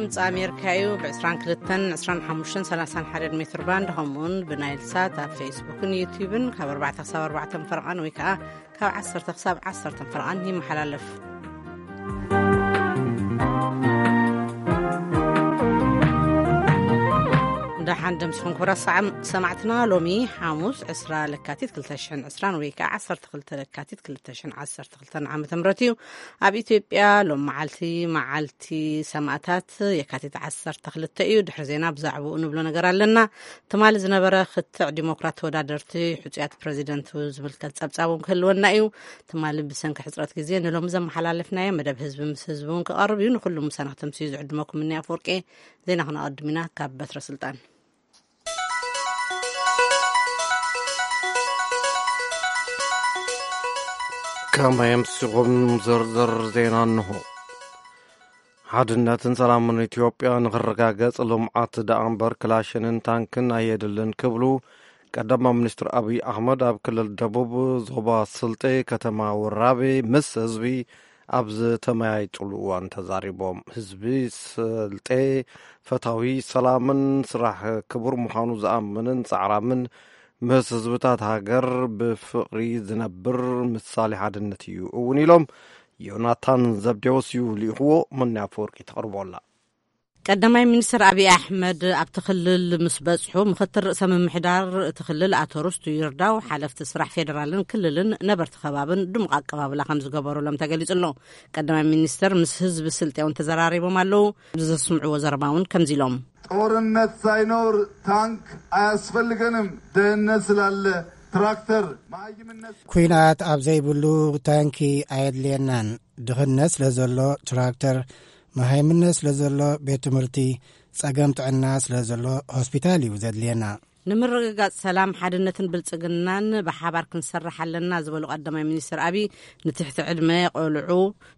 ድምፂ ኣሜሪካ እዩ። ብ22፣ 25፣ 31 ሜትር ባንድ፣ ከምኡውን ብናይል ሳት ኣብ ፌስቡክን ዩቲዩብን ካብ ኣርባዕተ ክሳብ ኣርባዕተ ፈረቓን ወይ ከዓ ካብ ዓሰርተ ክሳብ ዓሰርተ ፈረቓን ይመሓላለፍ። ደሓን ደምስኹም ክቡራት ሰዓም-፣ ሰማዕትና፣ ሎሚ ሓሙስ ዕስራ ለካቲት ክልተ ሽሕን ዕስራን ወይ ከዓ ዓሰርተ ክልተ ለካቲት ክልተ ሽሕን ዓሰርተ ክልተን ዓመተ ምህረት እዩ። ኣብ ኢትዮጵያ ሎም መዓልቲ፣ መዓልቲ ሰማእታት የካቲት ዓሰርተ ክልተ እዩ። ድሕሪ ዜና ብዛዕባኡ ንብሎ ነገር ኣለና። ትማሊ ዝነበረ ክትዕ ዲሞክራት ተወዳደርቲ ሕጹያት ፕረዚደንት ዝምልከት ጸብጻብ እውን ክህልወና እዩ። ትማሊ ብሰንኪ ሕጽረት ግዜ ንሎሚ ዘመሓላለፍናዮ መደብ ህዝቢ ምስ ህዝቢ እውን ክቐርብ እዩ። ንኹሉ ምሳና ክተምስዩ ዝዕድመኩም እኒ ኣፈወርቂ። ዜና ክነቐድም ኢና ካብ በትረ ስልጣን። ከመይ ኣምሲኹም ዝርዝር ዜና እንሆ። ሓድነትን ሰላምን ኢትዮጵያ ንኽረጋገጽ ልምዓት ደኣ እምበር ክላሽንን ታንክን ኣየድልን ክብሉ ቀዳማይ ሚኒስትር ኣብይ ኣሕመድ ኣብ ክልል ደቡብ ዞባ ስልጤ ከተማ ወራቤ ምስ ህዝቢ ኣብ ዝተመያየጥሉ እዋን ተዛሪቦም። ህዝቢ ስልጤ ፈታዊ ሰላምን ስራሕ ክቡር ምዃኑ ዝኣምንን ጻዕራምን ምስ ህዝብታት ሃገር ብፍቕሪ ዝነብር ምሳሌ ሓድነት እዩ እውን ኢሎም። ዮናታን ዘብዴዎስ እዩ ልኢኽዎ። መኒ ኣፈወርቂ ተቕርቦ ኣላ። ቀዳማይ ሚኒስትር ኣብይ ኣሕመድ ኣብቲ ክልል ምስ በጽሑ፣ ምኽትል ርእሰ ምምሕዳር እቲ ክልል ኣቶ ርስቱ ይርዳው፣ ሓለፍቲ ስራሕ ፌዴራልን ክልልን፣ ነበርቲ ከባብን ድሙቕ ኣቀባብላ ከም ዝገበሩሎም ተገሊጹ ኣሎ። ቀዳማይ ሚኒስትር ምስ ህዝቢ ስልጤ እውን ተዘራሪቦም ኣለዉ። ብዘስምዕዎ ዘረባ እውን ከምዚ ኢሎም። ጦርነት ሳይኖር ታንክ አያስፈልገንም፣ ድህነት ስላለ ትራክተር፣ መሃይምነት። ኲናት ኣብ ዘይብሉ ታንኪ ኣየድልየናን። ድኽነት ስለ ዘሎ ትራክተር፣ መሃይምነት ስለ ዘሎ ቤት ትምህርቲ፣ ጸገም ጥዕና ስለ ዘሎ ሆስፒታል እዩ ዘድልየና። ንምርግጋጽ ሰላም፣ ሓድነትን ብልጽግናን ብሓባር ክንሰርሕ ኣለና ዝበሉ ቀዳማይ ሚኒስትር ኣብይ፣ ንትሕቲ ዕድመ ቆልዑ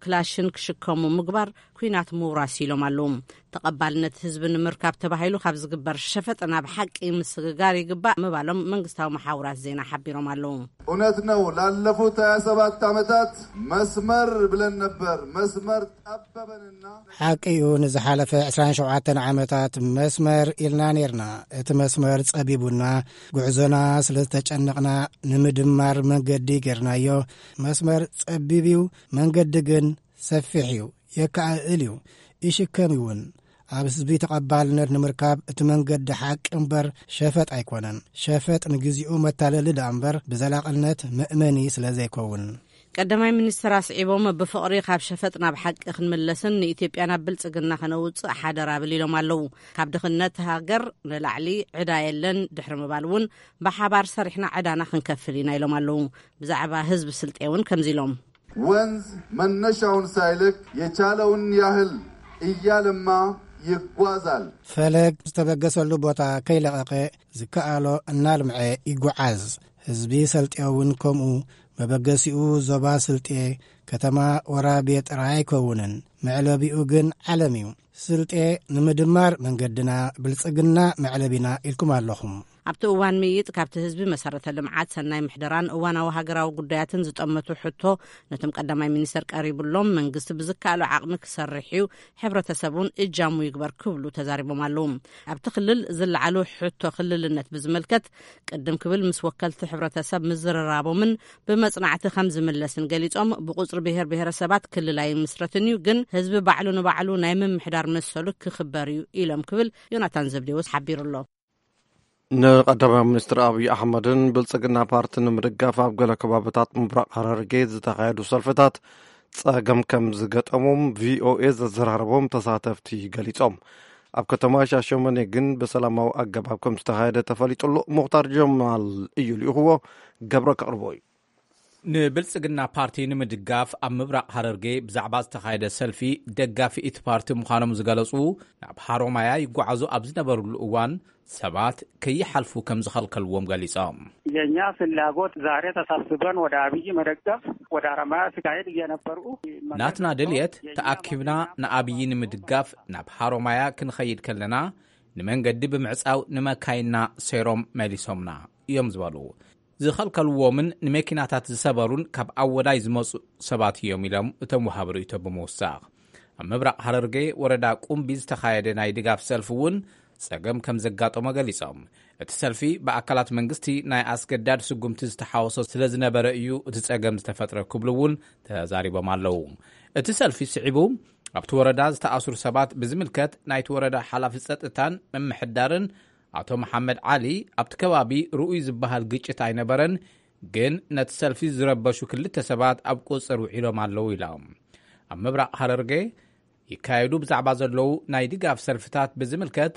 ክላሽን ክሽከሙ ምግባር ኲናት ምውራስ ኢሎም ኣለዉ። ተቐባልነት ህዝቢ ንምርካብ ተባሂሉ ካብ ዝግበር ሸፈጥ ናብ ሓቂ ምስግጋር ይግባእ ምባሎም መንግስታዊ መሓውራት ዜና ሓቢሮም ኣለዉ። እውነት ነው፣ ላለፉት ሃያ ሰባት ዓመታት መስመር ብለን ነበር። መስመር ጠበበንና። ሓቂ እዩ፣ ንዝሓለፈ ዕስራን ሸውዓተን ዓመታት መስመር ኢልና ኔርና። እቲ መስመር ጸቢቡና፣ ጉዕዞና ስለ ዝተጨነቕና ንምድማር መንገዲ ጌርናዮ። መስመር ጸቢብ እዩ፣ መንገዲ ግን ሰፊሕ እዩ፣ የከኣእል እዩ፣ ይሽከም እውን። ኣብ ህዝቢ ተቐባልነት ንምርካብ እቲ መንገዲ ሓቂ እምበር ሸፈጥ ኣይኮነን። ሸፈጥ ንግዚኡ መታለሊ ደኣ እምበር ብዘላቕነት መእመኒ ስለ ዘይከውን። ቀዳማይ ሚኒስትር ኣስዒቦም፣ ብፍቕሪ ካብ ሸፈጥ ናብ ሓቂ ክንምለስን ንኢትዮጵያ ናብ ብልጽግና ከነውጽእ ሓደራ ብል ኢሎም ኣለዉ። ካብ ድኽነት ሃገር ንላዕሊ ዕዳ የለን ድሕሪ ምባል እውን፣ ብሓባር ሰሪሕና ዕዳና ክንከፍል ኢና ኢሎም ኣለዉ። ብዛዕባ ህዝቢ ስልጤ እውን ከምዚ ኢሎም። ወንዝ መነሻውን ሳይለቅ የቻለውን ያህል እያለማ ይጓዛል። ፈለግ ዝተበገሰሉ ቦታ ከይለቐቐ ዝከኣሎ እናልምዐ ይጓዓዝ። ህዝቢ ሰልጤ እውን ከምኡ። መበገሲኡ ዞባ ስልጤ፣ ከተማ ወራቤ ጥራይ ኣይከውንን። መዕለቢኡ ግን ዓለም እዩ። ስልጤ ንምድማር መንገድና፣ ብልጽግና መዕለቢና ኢልኩም ኣለኹም። ኣብቲ እዋን ምይይጥ፣ ካብቲ ህዝቢ መሰረተ ልምዓት፣ ሰናይ ምሕደራን እዋናዊ ሃገራዊ ጉዳያትን ዝጠመቱ ሕቶ ነቶም ቀዳማይ ሚኒስተር ቀሪቡሎም፣ መንግስቲ ብዝከኣሎ ዓቕሚ ክሰርሕ እዩ፣ ሕብረተሰብ እውን እጃሙ ይግበር ክብሉ ተዛሪቦም ኣለዉ። ኣብቲ ክልል ዝለዓሉ ሕቶ ክልልነት ብዝምልከት፣ ቅድም ክብል ምስ ወከልቲ ሕብረተሰብ ምዝርራቦምን ብመጽናዕቲ ከም ዝምለስን ገሊጾም፣ ብቁጽሪ ብሔር ብሔረሰባት ክልል ኣይምስረትን እዩ፣ ግን ህዝቢ ባዕሉ ንባዕሉ ናይ ምምሕዳር መሰሉ ክኽበር እዩ ኢሎም ክብል ዮናታን ዘብዴዎስ ሓቢሩ ኣሎ። ንቀዳማይ ሚኒስትር ኣብይ ኣሕመድን ብልጽግና ፓርትን ንምድጋፍ ኣብ ገለ ከባብታት ምብራቕ ሃረርጌ ዝተኻየዱ ሰልፍታት ጸገም ከም ዝገጠሞም ቪኦኤ ዘዘራረቦም ተሳተፍቲ ገሊጾም። ኣብ ከተማ ሻሸመኔ ግን ብሰላማዊ ኣገባብ ከም ዝተኻየደ ተፈሊጡ ኣሎ። ሙኽታር ጀማል እዩ ልኢኽዎ፣ ገብረ ከቕርቦ እዩ። ንብልጽግና ፓርቲ ንምድጋፍ ኣብ ምብራቕ ሃረርጌ ብዛዕባ ዝተኻየደ ሰልፊ፣ ደጋፊ እቲ ፓርቲ ምዃኖም ዝገለጹ ናብ ሃሮማያ ይጓዓዙ ኣብ ዝነበሩሉ እዋን፣ ሰባት ከይሓልፉ ከም ዝኸልከልዎም ገሊጾም። የኛ ፍላጎት ዛሬ ተሰብስበን ወደ አብይ መደገፍ፣ ወደ ሐረማያ ሲካሄድ እየነበሩ። ናትና ድልየት፣ ተኣኪብና ንኣብይ ንምድጋፍ ናብ ሃሮማያ ክንኸይድ ከለና፣ ንመንገዲ ብምዕጻው ንመካይንና ሰይሮም መሊሶምና እዮም ዝበሉ። ዝኸልከልዎምን ንመኪናታት ዝሰበሩን ካብ ኣወዳይ ዝመጹ ሰባት እዮም ኢሎም እቶም ወሃቢ ርእይቶ ብምውሳኽ። ኣብ ምብራቕ ሃረርጌ ወረዳ ቁምቢ ዝተኻየደ ናይ ድጋፍ ሰልፊ እውን ጸገም ከም ዘጋጠሞ ገሊጾም። እቲ ሰልፊ ብኣካላት መንግስቲ ናይ ኣስገዳድ ስጉምቲ ዝተሓወሶ ስለ ዝነበረ እዩ እቲ ጸገም ዝተፈጥረ ክብሉ እውን ተዛሪቦም ኣለዉ። እቲ ሰልፊ ስዒቡ ኣብቲ ወረዳ ዝተኣስሩ ሰባት ብዝምልከት ናይቲ ወረዳ ሓላፊ ጸጥታን ምምሕዳርን ኣቶ መሓመድ ዓሊ ኣብቲ ከባቢ ርኡይ ዝበሃል ግጭት ኣይነበረን፣ ግን ነቲ ሰልፊ ዝረበሹ ክልተ ሰባት ኣብ ቁጽር ውዒሎም ኣለዉ ኢሎም። ኣብ ምብራቕ ሃረርጌ ይካየዱ ብዛዕባ ዘለዉ ናይ ድጋፍ ሰልፍታት ብዝምልከት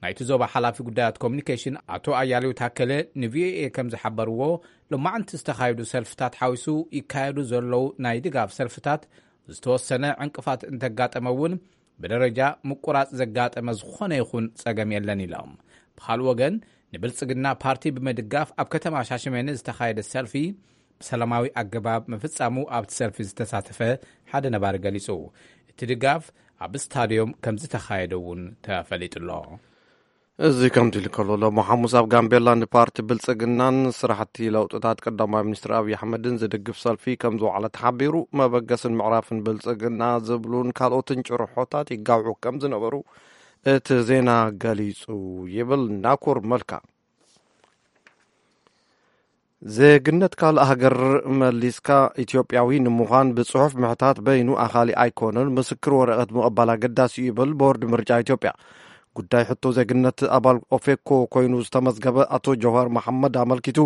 ናይቲ ዞባ ሓላፊ ጉዳያት ኮሚኒኬሽን ኣቶ ኣያሌው ታከለ ንቪኦኤ ከም ዝሓበርዎ፣ ሎማዕንቲ ዝተኻየዱ ሰልፍታት ሓዊሱ ይካየዱ ዘለዉ ናይ ድጋፍ ሰልፍታት ዝተወሰነ ዕንቅፋት እንተጋጠመ እውን ብደረጃ ምቁራጽ ዘጋጠመ ዝኾነ ይኹን ጸገም የለን ኢሎም። ብኻልእ ወገን ንብልጽግና ፓርቲ ብምድጋፍ ኣብ ከተማ ሻሸመኔ ዝተኻየደ ሰልፊ ብሰላማዊ ኣገባብ ምፍጻሙ ኣብቲ ሰልፊ ዝተሳተፈ ሓደ ነባሪ ገሊጹ። እቲ ድጋፍ ኣብ ስታድዮም ከም ዝተኻየደ እውን ተፈሊጡ ኣሎ። እዚ ከምዚ ኢሉ ከሎ፣ ሎሚ ሓሙስ ኣብ ጋምቤላ ንፓርቲ ብልጽግናን ስራሕቲ ለውጥታት ቀዳማይ ሚኒስትር ኣብይ ኣሕመድን ዝድግፍ ሰልፊ ከም ዝወዓለ ተሓቢሩ። መበገስን ምዕራፍን ብልጽግና ዝብሉን ካልኦትን ጭርሖታት ይጋውሑ ከም ዝነበሩ እቲ ዜና ገሊጹ ይብል ናኩር መልካ። ዜግነት ካልእ ሃገር መሊስካ ኢትዮጵያዊ ንምዃን ብጽሑፍ ምሕታት በይኑ ኣኻሊ ኣይኮነን፣ ምስክር ወረቐት ምቕባል ኣገዳሲ እዩ ይብል ቦርድ ምርጫ ኢትዮጵያ። ጉዳይ ሕቶ ዜግነት ኣባል ኦፌኮ ኮይኑ ዝተመዝገበ ኣቶ ጀውሃር መሓመድ ኣመልኪቱ፣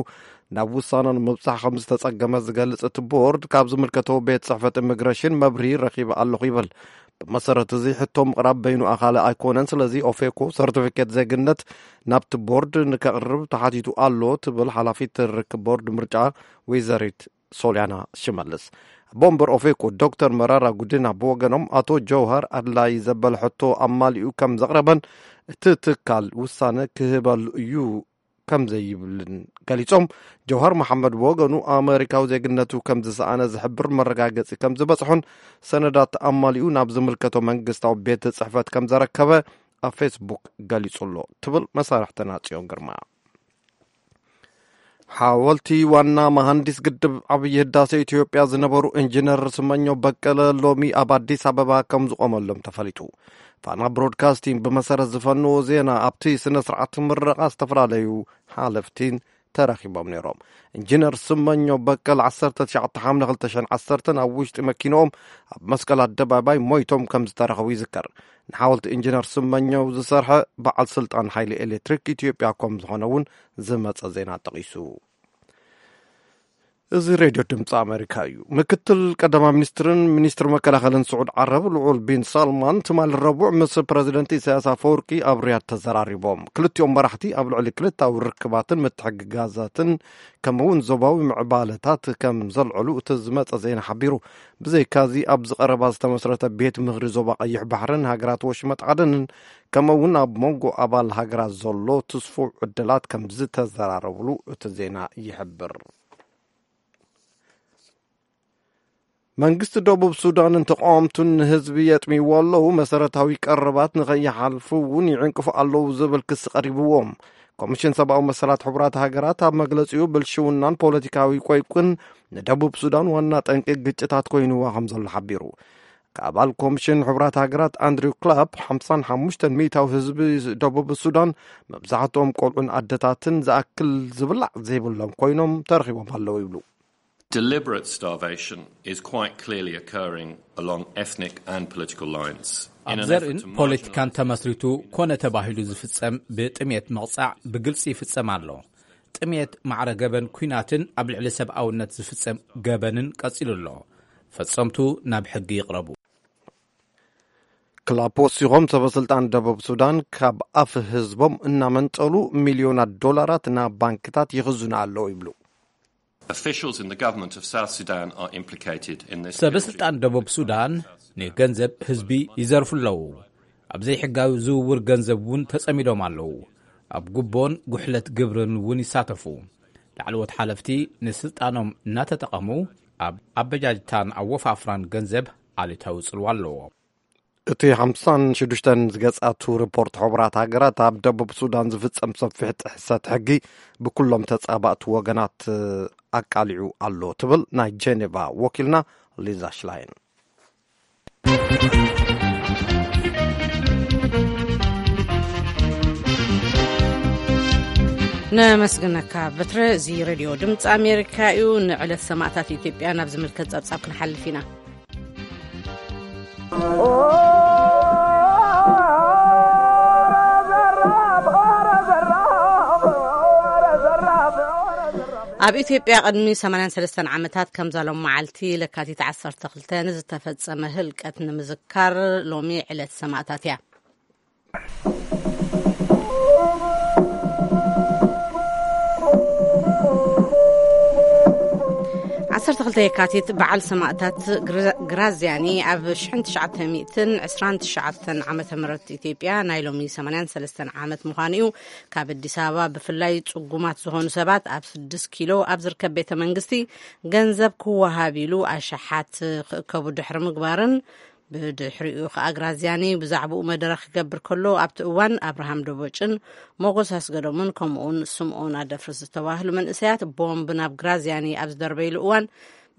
ናብ ውሳነ ንምብጻሕ ከም ዝተጸገመ ዝገልጽ እቲ ቦርድ፣ ካብ ዝምልከቶ ቤት ጽሕፈት ኢሚግሬሽን መብርሂ ረኺበ ኣለኹ ይብል። ብመሰረት እዚ ሕቶ ምቕራብ በይኑ ኣኻሊ ኣይኮነን፣ ስለዚ ኦፌኮ ሰርቲፊኬት ዜግነት ናብቲ ቦርድ ንከቕርብ ተሓቲቱ ኣሎ ትብል ሓላፊት ርክብ ቦርድ ምርጫ ወይዘሪት ሶልያና ሽመልስ። ኣቦ ወንበር ኦፌኮ ዶክተር መራራ ጉዲና ብወገኖም፣ ኣቶ ጀውሃር ኣድላይ ዘበለ ሕቶ ኣማሊኡ ከም ዘቕረበን እቲ ትካል ውሳነ ክህበሉ እዩ ከም ዘይብልን ገሊጾም፣ ጀውሃር መሓመድ ብወገኑ ኣመሪካዊ ዜግነቱ ከም ዝሰኣነ ዝሕብር መረጋገጺ ከም ዝበጽሖን ሰነዳት ኣማሊኡ ናብ ዝምልከቶ መንግስታዊ ቤት ጽሕፈት ከም ዘረከበ ኣብ ፌስቡክ ገሊጹ ኣሎ ትብል መሳርሕትና ጽዮን ግርማ። ሓወልቲ ዋና መሃንዲስ ግድብ ዓብዪ ህዳሴ ኢትዮጵያ ዝነበሩ ኢንጂነር ስመኘው በቀለ ሎሚ ኣብ ኣዲስ ኣበባ ከም ዝቖመሎም ተፈሊጡ። ፋና ብሮድካስቲንግ ብመሰረት ዝፈንዎ ዜና፣ ኣብቲ ስነ ስርዓት ምረቓ ዝተፈላለዩ ሓለፍቲን ተረኺቦም ነይሮም። ኢንጂነር ስመኘው በቀለ ዓሰርተ ትሽዓተ ሓምለ ክልተ ሽሕን ዓሰርተን ኣብ ውሽጢ መኪንኦም ኣብ መስቀል ኣደባባይ ሞይቶም ከም ዝተረኸቡ ይዝከር። ንሓወልቲ ኢንጂነር ስመኘው ዝሰርሐ በዓል ስልጣን ሓይሊ ኤሌክትሪክ ኢትዮጵያ ከም ዝኾነ እውን ዝመጸ ዜና ጠቒሱ። እዚ ሬድዮ ድምፂ ኣሜሪካ እዩ። ምክትል ቀዳማይ ሚኒስትርን ሚኒስትር መከላኸልን ስዑድ ዓረብ ልዑል ቢን ሳልማን ትማሊ ረቡዕ ምስ ፕረዚደንት ኢሳያስ ኣፈወርቂ ኣብ ሪያድ ተዘራሪቦም። ክልቲኦም መራሕቲ ኣብ ልዕሊ ክልታዊ ርክባትን ምትሕግጋዛትን ከምኡ እውን ዞባዊ ምዕባለታት ከም ዘልዕሉ እቲ ዝመጸ ዜና ሓቢሩ። ብዘይካዚ ኣብዚ ቀረባ ዝተመስረተ ቤት ምኽሪ ዞባ ቀይሕ ባሕርን ሃገራት ወሽመጥ ዓደንን ከምኡ እውን ኣብ መንጎ ኣባል ሃገራት ዘሎ ትስፉው ዕድላት ከም ዝተዘራረብሉ እቲ ዜና ይሕብር። መንግስቲ ደቡብ ሱዳንን ተቃወምቱን ንህዝቢ የጥምይዎ ኣለዉ፣ መሰረታዊ ቀረባት ንኸይሓልፉ እውን ይዕንቅፉ ኣለዉ ዝብል ክሲ ቀሪብዎም። ኮሚሽን ሰብኣዊ መሰላት ሕቡራት ሃገራት ኣብ መግለጺኡ ብልሽውናን ፖለቲካዊ ቆይቁን ንደቡብ ሱዳን ዋና ጠንቂ ግጭታት ኮይንዋ ከም ዘሎ ሓቢሩ። ካብ ኣባል ኮሚሽን ሕቡራት ሃገራት ኣንድሪው ክላፕ ሓምሳን ሓሙሽተን ሚእታዊ ህዝቢ ደቡብ ሱዳን መብዛሕትኦም ቆልዑን ኣደታትን ዝኣክል ዝብላዕ ዘይብሎም ኮይኖም ተረኺቦም ኣለዉ ይብሉ። Deliberate starvation is quite clearly occurring along ethnic and political lines. ኣብ ዘርእን ፖለቲካን ተመስሪቱ ኮነ ተባሂሉ ዝፍጸም ብጥሜት ምቕጻዕ ብግልጺ ይፍጸም ኣሎ። ጥሜት ማዕረ ገበን ኲናትን ኣብ ልዕሊ ሰብኣውነት ዝፍጸም ገበንን ቀጺሉ ኣሎ። ፈጸምቱ ናብ ሕጊ ይቕረቡ። ክላፕ ወሲኾም፣ ሰበ ስልጣን ደቡብ ሱዳን ካብ ኣፍ ህዝቦም እናመንጠሉ ሚልዮናት ዶላራት ናብ ባንክታት ይኽዝኑ ኣለዉ ይብሉ። Officials in the government of South Sudan are implicated in this. ሰበ ስልጣን ደቡብ ሱዳን ንገንዘብ ህዝቢ ይዘርፉ ኣለዉ። ኣብ ዘይሕጋዊ ዝውውር ገንዘብ እውን ተጸሚዶም ኣለዉ። ኣብ ጉቦን ጉሕለት ግብርን እውን ይሳተፉ። ላዕለዎት ሓለፍቲ ንስልጣኖም እናተጠቐሙ ኣብ ኣበጃጅታን ኣወፋፍራን ገንዘብ ኣሉታዊ ጽልዋ ኣለዎ። እቲ ሓምሳን ሽዱሽተን ዝገጻቱ ሪፖርት ሕቡራት ሃገራት ኣብ ደቡብ ሱዳን ዝፍጸም ሰፊሕ ጥሕሰት ሕጊ ብኩሎም ተጻባእቲ ወገናት ኣቃሊዑ ኣሎ ትብል ናይ ጄኔቫ ወኪልና ሊዛ ሽላይን። ነመስግነካ በትረ። እዚ ሬድዮ ድምፂ ኣሜሪካ እዩ። ንዕለት ሰማእታት ኢትዮጵያ ናብ ዝምልከት ጸብጻብ ክንሓልፍ ኢና። ኣብ ኢትዮጵያ ቅድሚ ሰማንያን ሰለስተን ዓመታት ከምዛ ሎም መዓልቲ ለካቲት ዓሰርተ ክልተ ንዝተፈጸመ ህልቀት ንምዝካር ሎሚ ዕለት ሰማእታት እያ። ዓሰርተ ክልተ የካቲት በዓል ሰማእታት ግራ- ግራዚያኒ ኣብ ሽሕን ትሽዓተ ሚእትን ዕስራን ትሽዓተን ዓመተ ምህረት ኢትዮጵያ ናይ ሎሚ ሰማንያን ሰለስተን ዓመት ምዃኑ እዩ። ካብ ኣዲስ ኣበባ ብፍላይ ጽጉማት ዝኾኑ ሰባት ኣብ ስድስት ኪሎ ኣብ ዝርከብ ቤተ መንግስቲ ገንዘብ ክወሃብ ኢሉ ኣሽሓት ክእከቡ ድሕሪ ምግባርን ብድሕሪኡ ከኣ ግራዚያኒ ብዛዕባኡ መደረ ክገብር ከሎ ኣብቲ እዋን ኣብርሃም ደቦጭን ሞጎስ ኣስገዶምን ከምኡውን ስምኦን ኣደፍርስ ዝተባህሉ መንእሰያት ቦምብ ናብ ግራዚያኒ ኣብ ዝደርበይሉ እዋን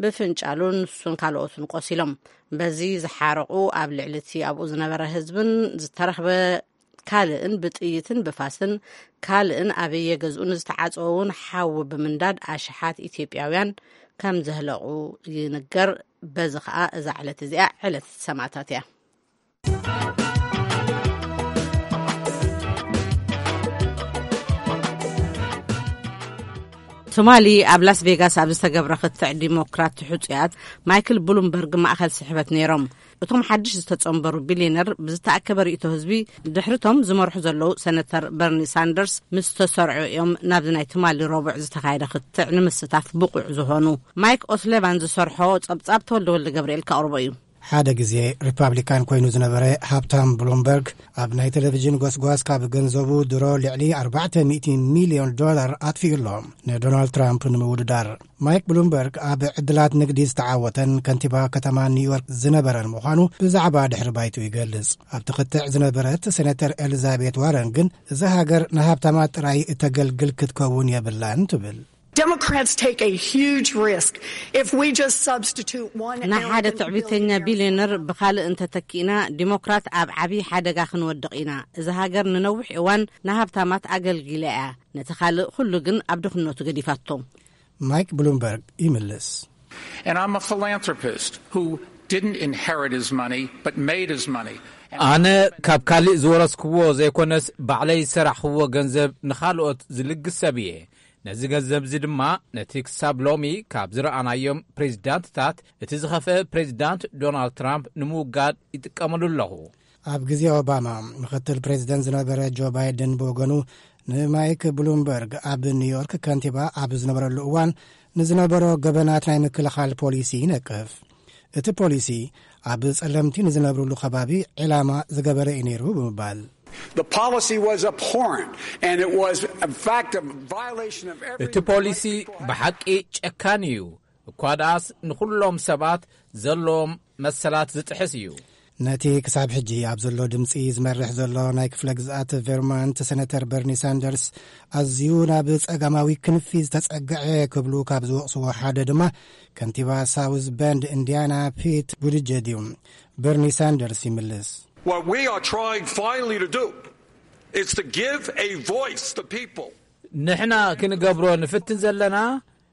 ብፍንጫሉ ንሱን ካልኦትን ቆሲሎም። በዚ ዝሓረቑ ኣብ ልዕሊ እቲ ኣብኡ ዝነበረ ህዝብን ዝተረኽበ ካልእን ብጥይትን ብፋስን ካልእን ኣበየ ገዝኡ ንዝተዓጸወ እውን ሓዊ ብምንዳድ ኣሽሓት ኢትዮጵያውያን ከም ዘህለቑ ይንገር። በዚ ኸኣ እዛ ዕለት እዚኣ ዕለት ሰማእታት እያ። ትማሊ ኣብ ላስ ቬጋስ ኣብ ዝተገብረ ክትዕ ዲሞክራት ሕጹያት ማይክል ብሉምበርግ ማእኸል ስሕበት ነይሮም። እቶም ሓድሽ ዝተጸንበሩ ቢልዮነር ብዝተኣከበ ርእይቶ ህዝቢ ድሕርቶም ዝመርሑ ዘለዉ ሰነተር በርኒ ሳንደርስ ምስ ተሰርዑ እዮም ናብዚ ናይ ትማሊ ረቡዕ ዝተኻየደ ክትዕ ንምስታፍ ብቑዕ ዝኾኑ። ማይክ ኦስሌቫን ዝሰርሖ ጸብጻብ ተወልደ ወልደ ገብርኤል ከቕርቦ እዩ። ሓደ ግዜ ሪፓብሊካን ኮይኑ ዝነበረ ሃብታም ብሉምበርግ ኣብ ናይ ቴሌቪዥን ጎስጓስ ካብ ገንዘቡ ድሮ ልዕሊ ኣርባዕተ ሚእቲ ሚልዮን ዶላር ኣጥፊኡ ኣሎ ንዶናልድ ትራምፕ ንምውድዳር። ማይክ ብሉምበርግ ኣብ ዕድላት ንግዲ ዝተዓወተን ከንቲባ ከተማ ኒውዮርክ ዝነበረን ምዃኑ ብዛዕባ ድሕሪ ባይቱ ይገልጽ። ኣብቲ ክትዕ ዝነበረት ሴኔተር ኤሊዛቤት ዋረን ግን እዛ ሃገር ንሃብታማት ጥራይ እተገልግል ክትከውን የብላን ትብል። Democrats take a huge risk if we just substitute one ንሓደ elf and ትዕቢተኛ billion ቢልዮነር ብኻልእ እንተተኪእና ዲሞክራት ኣብ ዓብዪ ሓደጋ ክንወድቕ ኢና። እዛ ሃገር ንነዊሕ እዋን ንሃብታማት ኣገልጊላ እያ። ነቲ ካልእ ኩሉ ግን ኣብ ድኽነቱ ገዲፋቶ። ማይክ ብሉምበርግ ይምልስ። And I'm a philanthropist who didn't inherit his money, but made his money. ኣነ ካብ ካልእ ዝወረስክዎ ዘይኮነስ ባዕለይ ዝሰራሕኽዎ ገንዘብ ንኻልኦት ዝልግስ ሰብ እየ። ነዚ ገንዘብ እዚ ድማ ነቲ ክሳብ ሎሚ ካብ ዝረኣናዮም ፕሬዚዳንትታት እቲ ዝኸፍአ ፕሬዚዳንት ዶናልድ ትራምፕ ንምውጋድ ይጥቀመሉ ኣለኹ። ኣብ ግዜ ኦባማ ምኽትል ፕሬዚደንት ዝነበረ ጆ ባይደን ብወገኑ ንማይክ ብሉምበርግ ኣብ ኒውዮርክ ከንቲባ ኣብ ዝነበረሉ እዋን ንዝነበሮ ገበናት ናይ ምክልኻል ፖሊሲ ይነቅፍ። እቲ ፖሊሲ ኣብ ጸለምቲ ንዝነብሩሉ ከባቢ ዕላማ ዝገበረ እዩ ነይሩ ብምባል። The policy was abhorrent, and it was, in fact, a violation of every እቲ ፖሊሲ ብሓቂ ጨካን እዩ። እኳ ደኣስ ንኹሎም ሰባት ዘለዎም መሰላት ዝጥሕስ እዩ። ነቲ ክሳብ ሕጂ ኣብ ዘሎ ድምጺ ዝመርሕ ዘሎ ናይ ክፍለ ግዝኣት ቨርማንት ሰነተር በርኒ ሳንደርስ ኣዝዩ ናብ ጸጋማዊ ክንፊ ዝተጸግዐ ክብሉ ካብ ዝወቕስዎ ሓደ ድማ ከንቲባ ሳውዝ በንድ ኢንዲያና ፒት ቡድጀድ እዩ። በርኒ ሳንደርስ ይምልስ። What we are trying finally to do is to give a voice to people. ንሕና ክንገብሮ ንፍትን ዘለና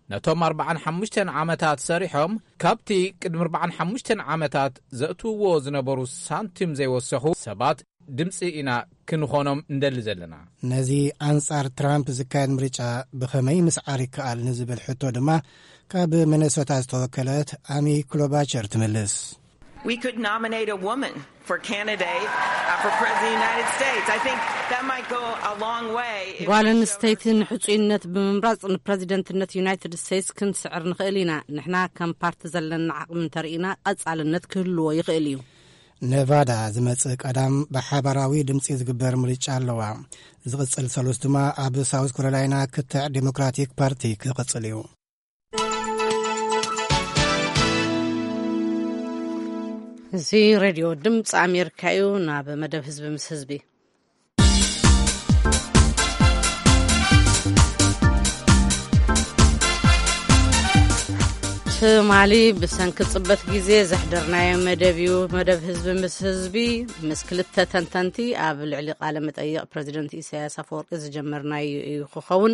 ነቶም ኣርባዓን ሓሙሽተን ዓመታት ሰሪሖም ካብቲ ቅድሚ ኣርባዓን ሓሙሽተን ዓመታት ዘእትውዎ ዝነበሩ ሳንቲም ዘይወሰኹ ሰባት ድምፂ ኢና ክንኾኖም እንደሊ ዘለና። ነዚ ኣንጻር ትራምፕ ዝካየድ ምርጫ ብኸመይ ምስዓር ይከኣል ንዝብል ሕቶ ድማ ካብ ሚነሶታ ዝተወከለት ኣሚ ክሎባቸር ትምልስ። We could nominate a woman for candidate uh, for president of the United States. I think that might go a long way. If ጓል ኣንስተይቲ ንሕጹይነት ብምምራጽ ንፕረዚደንትነት ዩናይትድ ስቴትስ ክንስዕር ንኽእል ኢና። ንሕና ከም ፓርቲ ዘለና ዓቕሚ እንተርኢና ቀጻልነት ክህልዎ ይኽእል እዩ። ኔቫዳ ዝመጽእ ቀዳም ብሓባራዊ ድምጺ ዝግበር ምርጫ ኣለዋ። ዝቕጽል ሰሉስ ድማ ኣብ ሳውዝ ካሮላይና ክትዕ ዴሞክራቲክ ፓርቲ ክቕጽል እዩ። እዚ ሬድዮ ድምፂ ኣሜሪካ እዩ። ናብ መደብ ህዝቢ ምስ ህዝቢ። ትማሊ ብሰንኪ ጽበት ግዜ ዘሕደርናዮ መደብ እዩ። መደብ ህዝቢ ምስ ህዝቢ፣ ምስ ክልተ ተንተንቲ ኣብ ልዕሊ ቃለ መጠይቕ ፕረዚደንት ኢሳያስ ኣፈወርቂ ዝጀመርናዮ እዩ ክኸውን።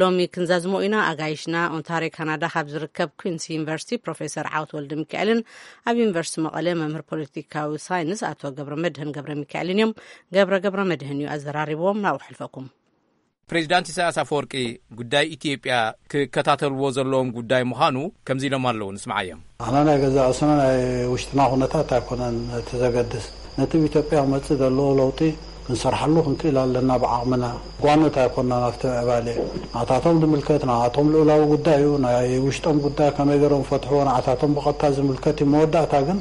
ሎሚ ክንዛዝሞ ኢና። ኣጋይሽና ኦንታርዮ ካናዳ ካብ ዝርከብ ኩንስ ዩኒቨርሲቲ ፕሮፌሰር ዓወት ወልደ ሚካኤልን ኣብ ዩኒቨርሲቲ መቐለ መምህር ፖለቲካዊ ሳይንስ ኣቶ ገብረ መድህን ገብረ ሚካኤልን እዮም። ገብረ ገብረ መድህን እዩ ኣዘራሪብዎም። ናብኡ ሕልፈኩም። ፕሬዚዳንት ኢሳያስ ኣፈወርቂ ጉዳይ ኢትዮጵያ ክከታተልዎ ዘለዎም ጉዳይ ምዃኑ ከምዚ ኢሎም ኣለዉ። ንስምዓዮም። ኣና ናይ ገዛ ርእስና ናይ ውሽጥና ኩነታት ኣይኮነን እቲ ዘገድስ። ነቲ ኣብ ኢትዮጵያ ክመጽእ ዘለዎ ለውጢ ክንሰርሓሉ ክንክእል ኣለና ብዓቕምና። ጓኖት ኣይኮንና ናብቲ ምዕባለ። ንዓታቶም ዝምልከት ንዓቶም ልኡላዊ ጉዳይ እዩ። ናይ ውሽጦም ጉዳይ ከመይ ገይሮም ፈትሕዎ ንዓታቶም ብቐጥታ ዝምልከት እዩ። መወዳእታ ግን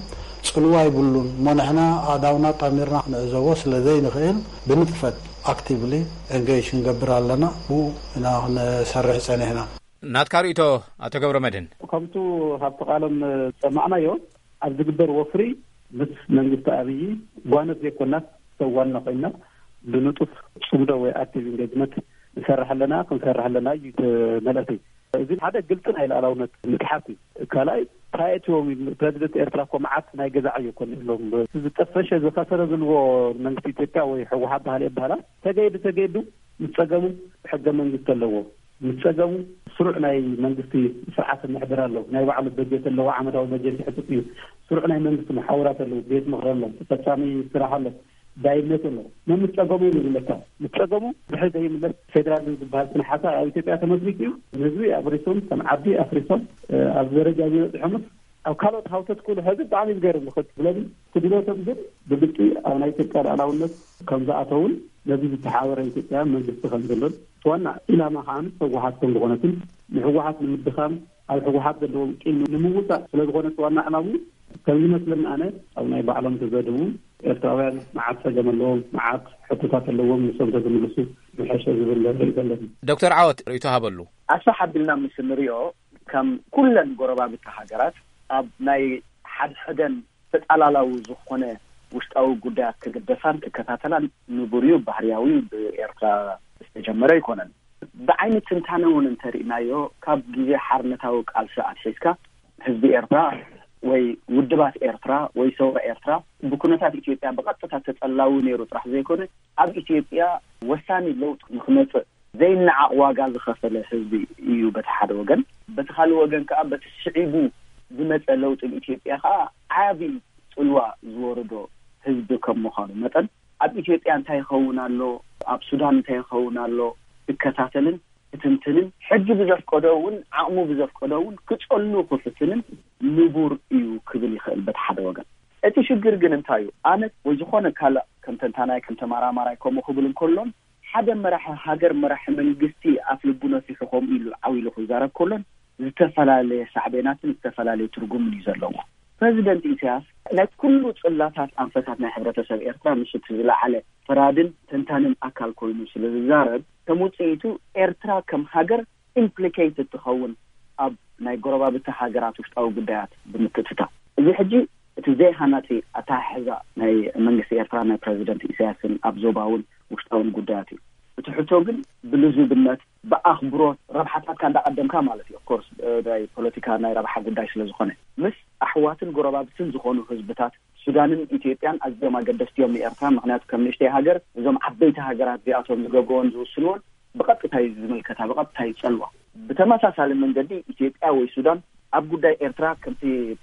ጽልዋ ይብሉን። እሞ ንሕና ኣእዳውና ጣሚርና ክንዕዘቦ ስለ ዘይንኽእል ብንጥፈት ኣክቲቭሊ ኤንጌጅ ክንገብር ኣለና። ብኡ ኢና ክንሰርሕ ጸኒሕና። ናትካ ርእይቶ ኣቶ ገብረ መድህን። ከምቱ ካብቲ ቃሎም ዝሰማዕናዮ ኣብ ዝግበር ወፍሪ ምስ መንግስቲ ኣብይ ጓነት ዘይኮናት ሰብ ዋና ኮይና ብንጡፍ ጽምዶ ወይ ኣክቲቭ ኢንጌጅመንት ንሰርሕ ኣለና ክንሰርሕ ኣለና እዩ እቲ መልእኽቲ። እዚ ሓደ ግልፂ ናይ ሉዓላውነት ምትሓት እዩ። ካልኣይ ፓየትዎም ፕረዚደንት ኤርትራ እኮ መዓት ናይ ገዛ ዕዮ እኮ ኣለዎም። ዝጠፈሸ ዝኸሰረ ዝልዎ መንግስቲ ኢትዮጵያ ወይ ህወሓት ባህል ይበሃላ ተገይዱ ተገይዱ ምስ ጸገሙ ሕገ መንግስቲ ኣለዎ። ምስ ጸገሙ ስሩዕ ናይ መንግስቲ ስርዓት ምሕደራ ኣለዎ። ናይ ባዕሉ በጀት ኣለዎ። ዓመታዊ በጀት ይሕጥጥ እዩ። ስሩዕ ናይ መንግስቲ መሓውራት ኣለዎ። ቤት ምኽሪ ኣሎ። ተፈጻሚ ስራሕ ኣሎ። ዳይነት ኣሎ። መምስ ጸገሙ እዩ ዝብለካ። ምስ ጸገሙ ድሕሪ ዘይምለስ ፌደራሊዝም ዝበሃል ስነ ሓሳብ ኣብ ኢትዮጵያ ተመስሪቱ እዩ። ንህዝቢ ኣብሪሶም ከም ዓዲ ኣፍሪሶም ኣብ ደረጃ ዝበፅሖምስ ኣብ ካልኦት ሃውተት ኩሉ ሕዚ ብጣዕሚ ዝገርም ንኽት ብለዚ ክድሎቶም ግን ብግልፂ ኣብ ናይ ኢትዮጵያ ልኣላውነት ከም ዝኣተውን ነዚ ዝተሓበረ ኢትዮጵያ መንግስቲ ከም ዘሎን እቲ ዋና ኢላማ ከዓ ህወሓት ከም ዝኾነትን ንህወሓት ንምድኻም ኣብ ህወሓት ዘለዎም ቂም ንምውፃእ ስለ ዝኾነ እቲ ዋና ዕላሙ ከም ዝመስለኒ ኣነ ኣብ ናይ ባዕሎም ተዘድቡ ኤርትራውያን መዓት ጸገም ኣለዎም፣ መዓት ሕቶታት ኣለዎም፣ ንሶም ተዝምልሱ ምሐሸ ዝብል ርእይቶ ኣለኒ። ዶክተር ዓወት ርእይቶ ሃበሉ። ኣስፍሕ ኣቢልና ምስ እንሪኦ ከም ኩለን ጎረባብቲ ሃገራት ኣብ ናይ ሓድሕደን ተጻላላዊ ዝኾነ ውሽጣዊ ጉዳያት ክግደሳን ክከታተላን ንቡር እዩ፣ ባህርያዊ እዩ፣ ብኤርትራ ዝተጀመረ ኣይኮነን። ብዓይኒ ትንታነ እውን እንተሪእናዮ ካብ ግዜ ሓርነታዊ ቃልሲ ኣትሒዝካ ህዝቢ ኤርትራ ወይ ውድባት ኤርትራ ወይ ሰውራ ኤርትራ ብኩነታት ኢትዮጵያ ብቐጥታ ተጸላዊ ነይሩ ጥራሕ ዘይኮነ ኣብ ኢትዮጵያ ወሳኒ ለውጢ ንክመጽእ ዘይነዓቕ ዋጋ ዝኸፈለ ህዝቢ እዩ በቲ ሓደ ወገን። በቲ ካልእ ወገን ከዓ በቲ ስዒቡ ዝመጸ ለውጢ ንኢትዮጵያ ከዓ ዓቢ ጽልዋ ዝወረዶ ህዝቢ ከም ምዃኑ መጠን ኣብ ኢትዮጵያ እንታይ ይኸውን ኣሎ፣ ኣብ ሱዳን እንታይ ይኸውን ኣሎ ክከታተልን ክትንትንን ሕጊ ብዘፍቀዶ እውን ዓቕሙ ብዘፍቀዶ እውን ክጸሉ ክፍትንን ንቡር እዩ ክብል ይኽእል በቲ ሓደ ወገን። እቲ ሽግር ግን እንታይ እዩ? ኣነ ወይ ዝኾነ ካልእ ከም ተንታናይ ከም ተመራማራይ ከምኡ ክብል እንከሎን ሓደ መራሒ ሃገር መራሒ መንግስቲ ኣፍ ልቡ ነፊሑ ከምኡ ኢሉ ዓው ኢሉ ክዛረብ ከሎን ዝተፈላለየ ሳዕቤናትን ዝተፈላለየ ትርጉምን እዩ ዘለዎ። ፕረዚደንት ኢሳያስ ናይ ኩሉ ጽላታት ኣንፈታት ናይ ሕብረተሰብ ኤርትራ ምስ እቲ ዝለዓለ ፈራድን ተንታንን ኣካል ኮይኑ ስለ ዝዛረብ ከም ውጽኢቱ ኤርትራ ከም ሃገር ኢምፕሊኬትድ ትኸውን ኣብ ናይ ጎረባብቲ ሃገራት ውሽጣዊ ጉዳያት ብምክትታል እዚ ሕጂ እቲ ዘይሃናጺ ኣተሓሕዛ ናይ መንግስቲ ኤርትራ ናይ ፕረዚደንት ኢሳያስን ኣብ ዞባውን ውሽጣውን ጉዳያት እዩ። እቲ ሕቶ ግን ብልዙብነት ብኣኽብሮት ረብሓታትካ እንዳቐደምካ ማለት እዩ። ኦፍኮርስ ናይ ፖለቲካ ናይ ረብሓ ጉዳይ ስለ ዝኾነ ምስ ኣሕዋትን ጎረባብትን ዝኾኑ ህዝብታት ሱዳንን ኢትዮጵያን ኣዝዮም ኣገደስቲ እዮም ንኤርትራ። ምክንያቱ ከም ንእሽተይ ሃገር እዞም ዓበይቲ ሃገራት እዚኣቶም ዝገብርዎን ዝውስንዎን ብቐጥታ እዩ ዝምልከታ፣ ብቐጥታ ይጸልዋ። ብተመሳሳሊ መንገዲ ኢትዮጵያ ወይ ሱዳን ኣብ ጉዳይ ኤርትራ ከምቲ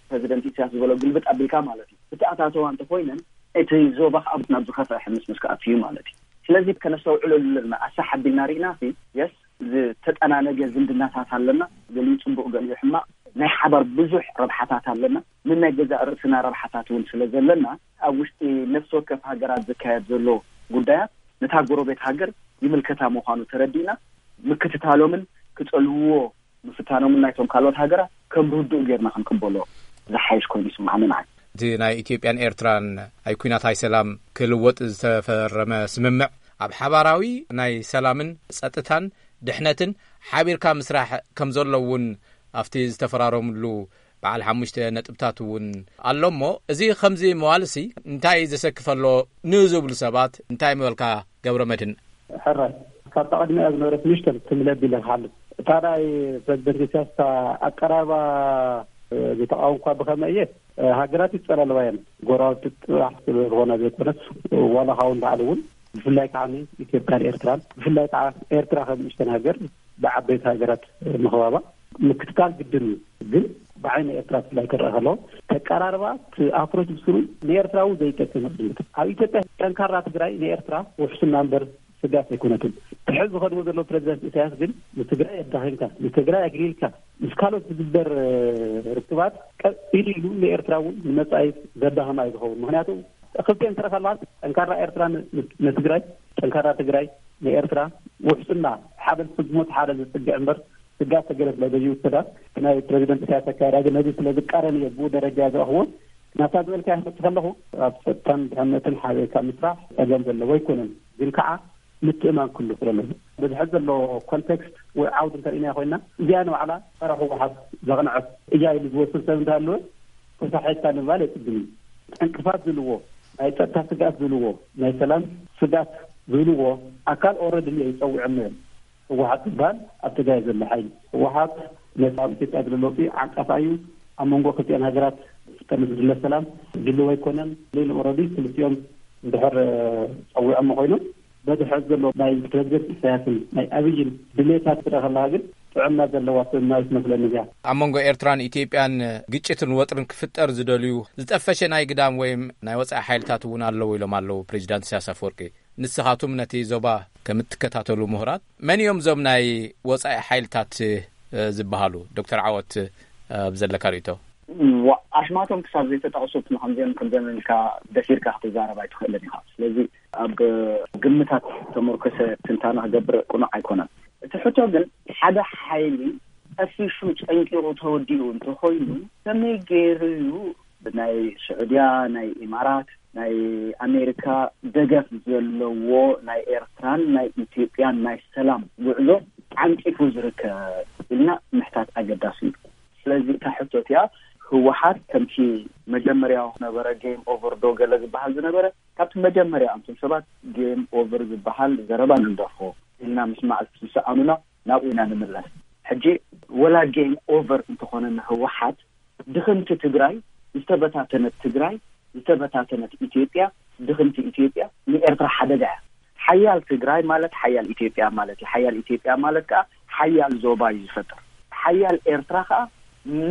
ፕረዚደንት ኢሳያስ ዝበሎ ግልብጥ ኣቢልካ ማለት እዩ ብተኣታተዋ እንተኮይነን እቲ ዞባ ከዓ ናብ ዝኸፍአ ሕምስምስ ክኣቱ እዩ ማለት እዩ። ስለዚ ከነስተውዕለሉ ኣለና። ኣሳሕ ኣቢልና ርኢና ሲ የስ ዝተጠናነገ ዝምድናታት ኣለና። ገሊኡ ጽቡቕ ገሊኡ ሕማቕ ናይ ሓባር ብዙሕ ረብሓታት ኣለና። ንናይ ገዛእ ርእስና ረብሓታት እውን ስለ ዘለና ኣብ ውሽጢ ነፍሲ ወከፍ ሃገራት ዝካየድ ዘሎ ጉዳያት ነታ ጎረቤት ሃገር ይምልከታ ምዃኑ ተረዲእና ምክትታሎምን ክጸልውዎ ምፍታኖምን ናይቶም ካልኦት ሃገራት ከም ርዱእ ጌርና ክንቅበሎ ዝሓይሽ ኮይኑ ይስምዓኒ ንዓይ። እቲ ናይ ኢትዮጵያን ኤርትራን ኣይ ኲናት ኣይ ሰላም ክልወጥ ዝተፈረመ ስምምዕ ኣብ ሓባራዊ ናይ ሰላምን ጸጥታን ድሕነትን ሓቢርካ ምስራሕ ከም ዘሎ እውን ኣብቲ ዝተፈራረምሉ በዓል ሓሙሽተ ነጥብታት እውን ኣሎ እሞ እዚ ከምዚ ምባልሲ እንታይ ዘሰክፍ ኣሎ ንዝብሉ ሰባት እንታይ ምበልካ ገብረ መድህን? ሕራይ ካብታ ቀድሚኣ ዝነበረት ንእሽተን ትምለድ ኢለ ክሓልፍ እታ ናይ ፕረዚደንት ኢሳያስ እታ ኣቀራርባ ዝተቃወምኳ ብኸመይ እየ? ሃገራት ይጸላለዋ እየን። ጎረባብቲ ጥራሕ ስለ ዝኾና ዘይኮነስ፣ ዋላ ካውን ባዕሉ እውን፣ ብፍላይ ከዓ ኢትዮጵያን ኤርትራን፣ ብፍላይ ከዓ ኤርትራ ከም ንእሽተን ሃገር ብዓበይቲ ሃገራት ምኽባባ ምክትታል ግድን እዩ። ግን ብዓይኒ ኤርትራ ብፍላይ ክረአ ከለዎ፣ ተቀራርባ እቲ ኣፕሮች ብስሩ ንኤርትራ እውን ዘይጠቅም እዩ። ኣብ ኢትዮጵያ ጠንካራ ትግራይ ንኤርትራ ውሕስና እምበር ስጋት ኣይኮነትን። ትሕዚ ዝኸድዎ ዘሎ ፕሬዚደንት ኢሳያስ ግን ንትግራይ ኣዳኺምካ፣ ንትግራይ ኣግሊልካ፣ ምስ ካልኦት ዝግበር ርክባት ቀ-፣ ኢሉ ኢሉ ንኤርትራ እውን ንመጻኢ ዘዳኸማ እዩ ዝኸውን። ምክንያቱ ክልቲኤን ስረ ካልባት ጠንካራ ኤርትራ ን-፣ ን-፣ ንትግራይ፣ ጠንካራ ትግራይ ንኤርትራ፣ ውሕስና ሓደ ዝፍጽሞ እቲ ሓደ ዝጽግዕ እምበር ስጋት ተገለ ስለ ዘይውሰዳ፣ ናይ ፕሬዚደንት ኢሳያስ ኣካያዳ ግን ነዚ ስለ ዝቃረን እየ ብኡ ደረጃ ዝረኽቦ። ናብታ ዝበልካዮ ክመጽእ ከለኹ፣ ኣብ ጸጥታን ድሕነትን ሓቢርካ ምስራሕ ጸገም ዘለዎ ኣይኮነን። ግን ከዓ ምትእማን ክህሉ ስለ ኣለዎ። በዚ ሕዚ ዘሎ ኮንቴክስት ወይ ዓውዲ እንተርኢናዮ ኮይና፣ እዚኣ ንባዕላ ጸረ ህወሓት ዘቕንዐት እያ ኢሉ ዝወስን ሰብ እንተሃለወ፣ ተሳሒትካ ንምባል የጽግም እዩ። ዕንቅፋት ዝብልዎ፣ ናይ ጸጥታ ስግኣት ዝብልዎ፣ ናይ ሰላም ስግኣት ዝብልዎ ኣካል ኦረዲ እዮም ጸዊዖም እዮም። ህወሓት ዝበሃል ኣብ ትግራይ ዘሎ ሓይሊ፣ ህወሓት ነቲ ኣብ ኢትዮጵያ ዘሎ ለውጢ ዓንቃፋ እዩ። ኣብ መንጎ ክልቲኣን ሃገራት ከም ዝድለ ሰላም ድልው ኣይኮነን። ሌሎ ኦረዲ ክልቲኦም እንድሕር ጸዊዖም ኮይኖም፣ በዚ ሕዚ ዘሎ ናይ ፕሬዚደንት ኢሳያስን ናይ ኣብይን ድሌታት ትረአ ከለካ ግን ጥዕና ዘለዋ ስምምዕ ትመስለኒ እዚኣ። ኣብ መንጎ ኤርትራን ኢትዮጵያን ግጭትን ወጥርን ክፍጠር ዝደልዩ ዝጠፈሸ ናይ ግዳም ወይም ናይ ወጻኢ ሓይልታት እውን ኣለዉ ኢሎም ኣለዉ ፕሬዚዳንት ኢሳያስ ኣፈወርቂ። ንስኻቱም ነቲ ዞባ ከም እትከታተሉ ምሁራት፣ መን እዮም እዞም ናይ ወጻኢ ሓይልታት፣ እ፣ ዝበሃሉ? ዶክተር ዓወት፣ እ፣ ኣብ ዘለካ ርእይቶ። ዋ-፣ ኣሽማቶም ክሳብ ዘይተጠቕሱ ንከምዚኦም ከምዚኦም ኢልካ ደፊርካ ክትዛረብ ኣይትኽእልን ኢኻ። ስለዚ ኣብ ግምታት ተመርኮሰ ትንታነ ክገብር ቅኑዕ ኣይኮነን። እቲ ሕቶ ግን ሓደ ሓይሊ ጠፊሹ ጨንቂቑ ተወዲኡ እንተኾይኑ ከመይ ገይሩ እዩ ብናይ ስዑድያ፣ ናይ ኢማራት፣ ናይ ኣሜሪካ ደገፍ ዘለዎ ናይ ኤርትራን ናይ ኢትዮጵያን ናይ ሰላም ጉዕዞ ዓንቂፉ ዝርከብ ኢልና ምሕታት ኣገዳሲ እዩ። ስለዚ እታ ሕቶ እቲኣ ህወሓት ከምቲ መጀመርያ ነበረ ጌም ኦቨር ዶ ገለ ዝበሃል ዝነበረ፣ ካብቲ መጀመርያ ኣንቱም ሰባት ጌም ኦቨር ዝበሃል ዘረባ ንግደፎ ኢልና ምስማዕ ምስ ሰኣኑና ናብኡ ኢና ንምለስ። ሕጂ ወላ ጌም ኦቨር እንተኾነ ንህወሓት ድኽምቲ ትግራይ፣ ዝተበታተነት ትግራይ፣ ዝተበታተነት ኢትዮጵያ፣ ድኽምቲ ኢትዮጵያ ንኤርትራ ሓደጋ እያ። ሓያል ትግራይ ማለት ሓያል ኢትዮጵያ ማለት እዩ። ሓያል ኢትዮጵያ ማለት ከዓ ሓያል ዞባ እዩ ዝፈጥር። ሓያል ኤርትራ ከዓ